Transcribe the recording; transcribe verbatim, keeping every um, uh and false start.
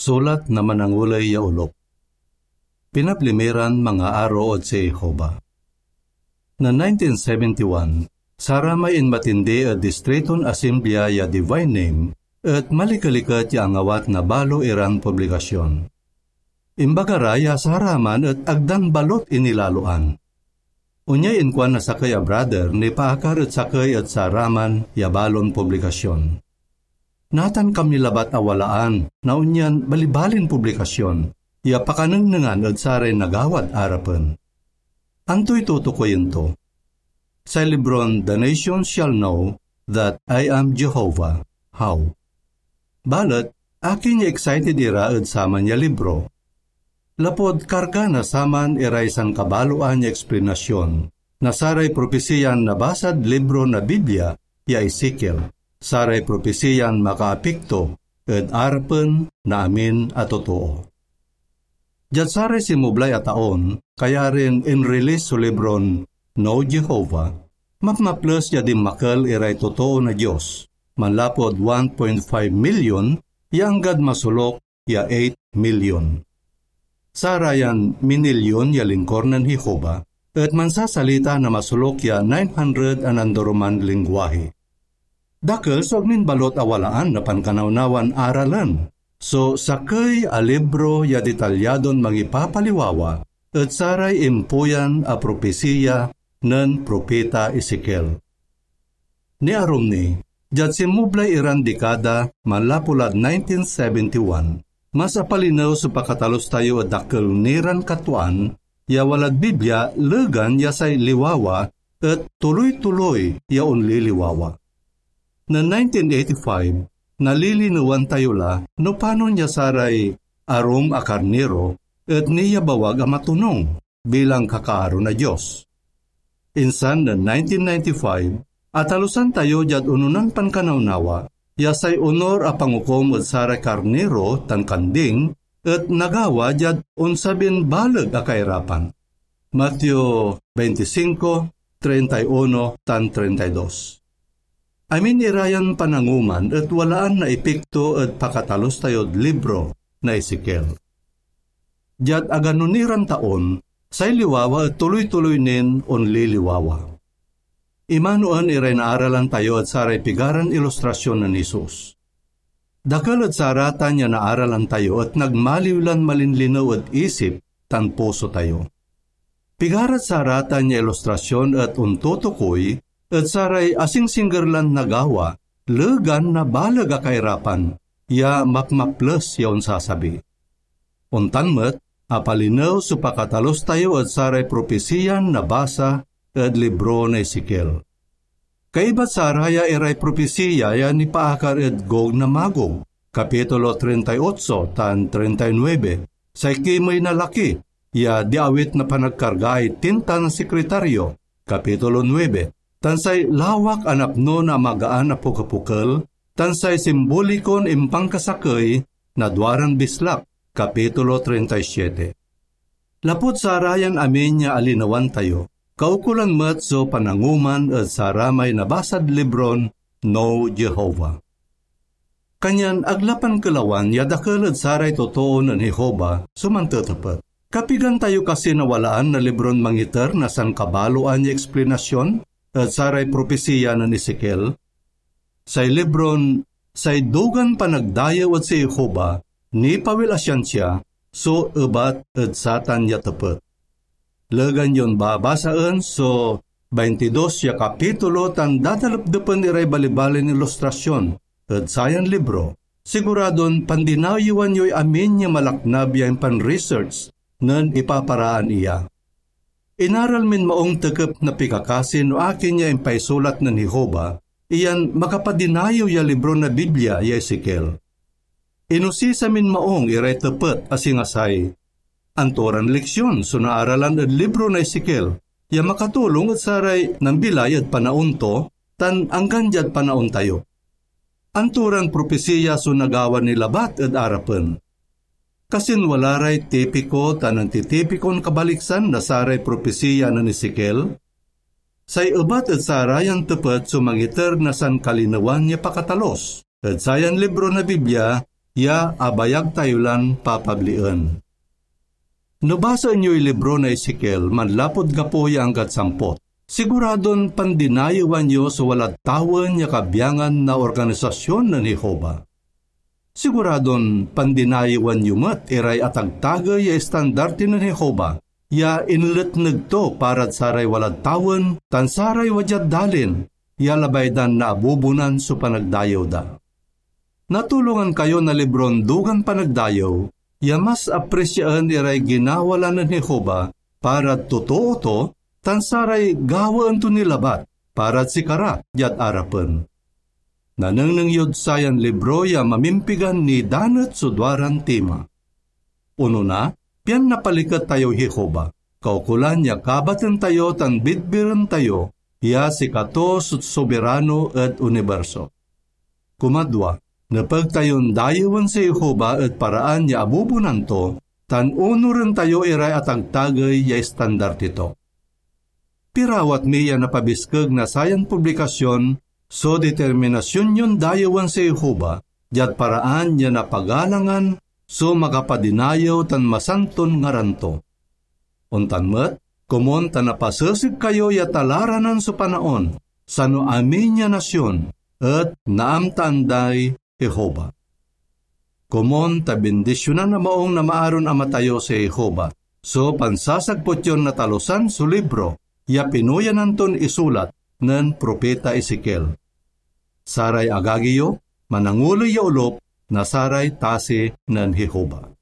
sulat na mananguley ya olop. Pinabli mi ran mangaaro ed si Jehovah. Na nineteen seventy-one, saramay inmatindi ed Distriton Asemblia ya Divine Name et malikeliket ya angawat na balo iran publikasyon. Imbaga ra ya saraman et agdan balot inilaloan. Onyay inkuan na sakey a brother nipaakar ed sakey ed saraman ya balon publikasyon. Natan kami labat a walaan na onyan balibalin publikasyon ya pakanengnengan ed saray nagawad arapen. Antoy tutukoyen to? Say libron The Nation Shall Know That I Am Jehovah. How? Balet, akin ya excited ira ed saman ya libro? Lapud karga na saman iray sankabaloan ya eksplanasyon na saray propesiyan nabasad libro na Biblia ya Ezekiel, saray propesiyan makaapekto ed arapen na amin a totoo. Diad saray sinmublay a taon, kayarin inrelease so libron Know Jehovah, mapmaples ya dinmakel iray totoo na Dios, manlapud one point five million ya anggad masolok ya eight million. Sarayan minilyon ya lingkor nen Jehovah et mansasalita na masolok ya nine hundred a nandoroman lingwahe. Dakel so agmin balot a walaan na pankanawnawan aralen so sakey a libro ya detalyadon mangipapaliwawa ed saray impuyan a propesiya nen Propeta Ezekiel. Niarum ni, diad sinmublay iran dekada manlapu lad nineteen seventy-one, mas apalinew so pakatalus tayo ed dakel ni ran katwaan ya walad Biblia legan ya say liwawa et tuloy-tuloy ya onliliwawa. Nen nineteen eighty-five, nalilinewan tayo la no panon ya saray arum a karniro et niyabawag a matonung bilang kakaaro na Dios. Insan nen nineteen ninety-five, atalusan tayo diad ononan pankanawnawa ya say onor a pangukom ed saray karniro tan kanding et nagawa diad onsabin baleg a kairapan. Mateo twenty-five, treinta y uno tan treinta y dos. Amin ira yan pananguman et walaan na epekto ed pakatalus tayod libro na Ezekiel. Diad agano ni ran taon, say liwawa et tuloy-tuloy nin onliliwawa. Imanoen iray naaralan tayo ed saray pigaran ilustrasyon nen Jesus. Dakel ed saratan ya naaralan tayo et nagmaliw lan malinlinew ed isip tan puso tayo. Pigarad saratan ya ilustrasyon et ontutukoy ed saray asingsingger lan nagawa legan na baleg a kairapan ya mapmaples ya onsasabi. Ontan met, apalinew so pakatalus tayo ed saray propesiyan nabasa ed libro na Ezekiel. Kaibat saraya iray propesiya ya nipaakar ed Gog na Magog, Kapitulo treinta y ocho tan treinta y nuebe, say kimey na laki ya diawit na panagkargaay tinta na sekretaryo, Kapitulo nuebe, tan say lawak a napno na amagaan a pukepukel, tan say simbolikon impankasakey na duaran bislak, Kapitulo treinta y siete. Lapud sarayan amin ya alinewan tayo, kaukolan met so pananguman ed saramay nabasad libron No Jehovah. Kanyan ag la pankelawan ya dakel ed saray totoo nen Jehovah so mantetepet. Kapigan tayo kasi nawalaan na libron mangiter na sankabaloan ya eksplanasyon ed saray propesiya nen Ezekiel? Say libron Say Dugan Panagdayew ed si Jehovah Nipawil a Siansia so ebat ed satan ya tepet. Legan yon babasaen so baintidos ya kapitulo tan dadalapdepen iray balibalin ilustrasyon ed sayan libro. Siguradon pandinayewan yoy amin ya malaknab ya impan-research nen ipaparaan iya. Inaral min maong tekep na pikakasi no akin ya impaisulat nen Jehovah iyan makapadinayew ya libro na Biblia ya Ezekiel. Inosisa min maong iray tepet a singa say, anto ran leksion so naaralan ed libro na Ezekiel ya makatulong ed saray nambilay ed panaon to tan anggan diad panaon tayo? Anto ran propesiya so nagawa ni labat ed arapen? Kasin wala ray tipiko tan antitipikon kabaliksan na saray propesiya nen Ezekiel? Say ebat ed sarayan tepet so mangiter na sankalinewan ya pakatalus. Ed sayan libro na Biblia, ya abayag tayo lan papablien. No basaen yoy libro na Ezekiel manlapud gapo ya anggad sampot, siguradon pandinayewan yo so walad tawen ya kabyangan na organisasyon nen Jehovah. Siguradon pandinayewan yo met iray atagtagey ya estandarte nen Jehovah ya inletneg to parad saray walad tawen tan saray wadiad dalin ya labay dan naabubunan so panagdayew da. Natulongan kayo na libron Dugan Panagdayew ya mas apresiaen iray ginawa la nen Jehovah parad totoo to tan saray gawaen to ni labat parad sikara diad arapen. Nanengneng yod sayan libro ya mamimpigan nidanet so duaran tema. Onona, pian napaliket tayoy Jehovah, kaukolan ya kabaten tayo tan bidbiren tayo ya sikato so soberano ed uniberso. Kumadwa, nepeg tayon dayewen si Jehovah ed paraan ya abubunan to, tan onuren tayo iray atagtagey ya estandarte to. Pirawat mi ya napabiskeg na sayan publikasyon so determinasyon yon dayewen si Jehovah diad paraan ya napagalangan so makapadinayew tan masanton ngaran to. Ontan met, komon ta napaseseg kayo ya talaranan so panaon, sano amin ya nasion et naamtaan day Jehovah. Komon ta bindisionan a maung na maaron Ama tayo si Jehovah so pansasagput yon natalusan so libro ya pinuyanan ton isulat nen Propeta Ezekiel. Saray agagi yo, mananguley ya olop na saray tasi nen Jehovah.